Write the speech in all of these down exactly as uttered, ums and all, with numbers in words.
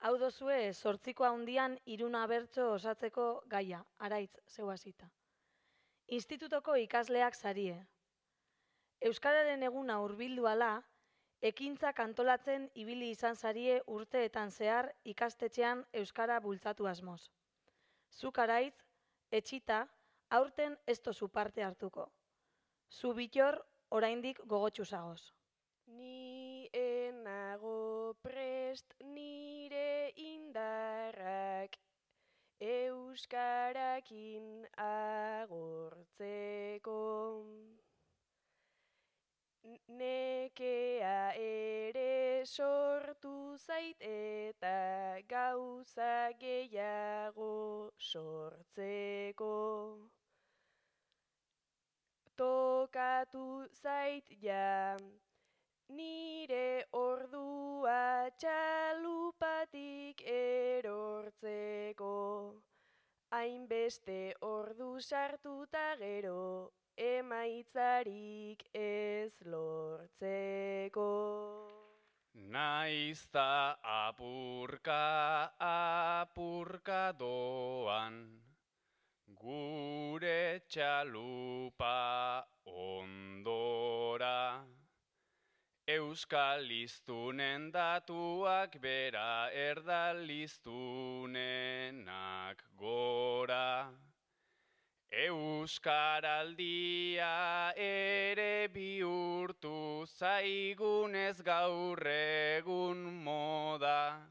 Hau dozue zortziko handian iruna bertso osatzeko gaia, araitz zeu hasita. Institutoko ikasleak sarie. Euskararen eguna hurbildu ala, ekintzak antolatzen ibili izan sarie urteetan zehar ikastetxean euskara bultzatu asmoz. Zuk araitz, etxita, aurten ez tozu parte hartuko. Zu bitor, oraindik gogotsu zagoz. Ni enago prest nire indarrak euskarakin agortzeko. Nekea ere sortu zait eta gauza gehiago sortzeko. Tokatu zait ja nire ordua txalupatik erortzeko. Hainbeste ordu sartuta gero emaitzarik ez lortzeko. Naizta apurka apurka doan, gure txalupa ondora. Euskal hiztunen datuak bera erdaliztunenak gora. Euskaraldia ere bihurtu zaigunez gaur egun moda.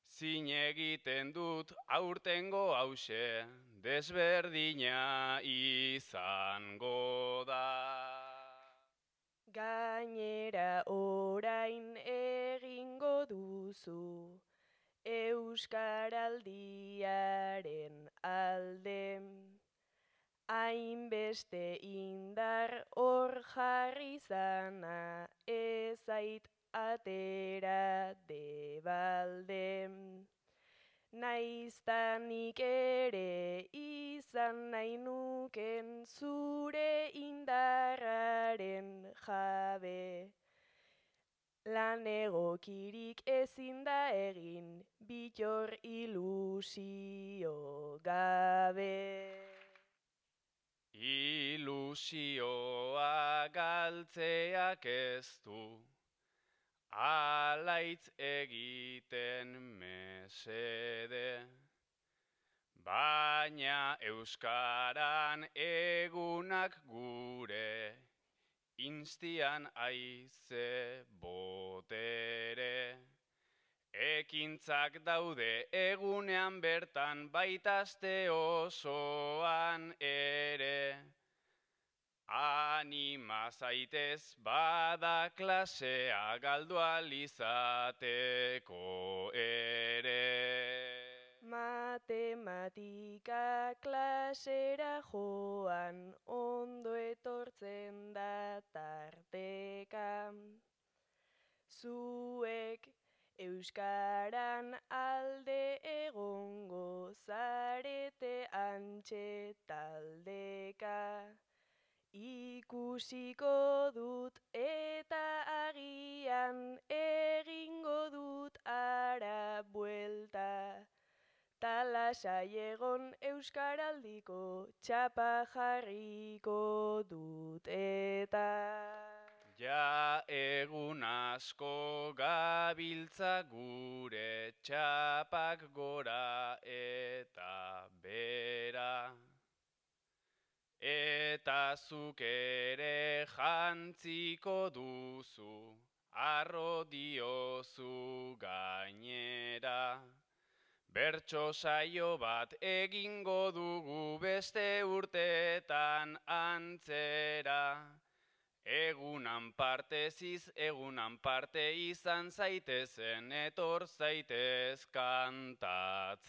Zin egiten dut aurtengo hause, desberdina izango da. Gainera orain egingo duzu euskaraldiaren alde. Hainbeste indar hor jarri zana ezait atera debalde. Naiztanik ere izan nahi nuken zure indarraren jabe. Lan egokirik ezin da egin bitor ilusio gabe. Ilusioa galtzeak ez du, alaitz egiten mesede. Baina euskaran egunak gure, instian aize botere. Ekintzak daude egunean bertan baitazte osoan ere. Anima zaitez bada klasea galdu alizateko ere. Matematika klasera joan ondo etortzen da tarteka. Zuek euskaran alde egongo zarete antxe taldeka. Ikusiko dut eta agian egingo dut ara buelta. Talasai egon euskaraldiko txapa jarriko dut eta. Ja egun asko gabiltza gure txapak gora eta bera. Eta zuk ere jantziko duzu, arro diozu gainera. Bertso saio bat egingo dugu beste urteetan antzera. Egunan parteziz, egunan parte izan zaitezen, etor zaitez kantatzera.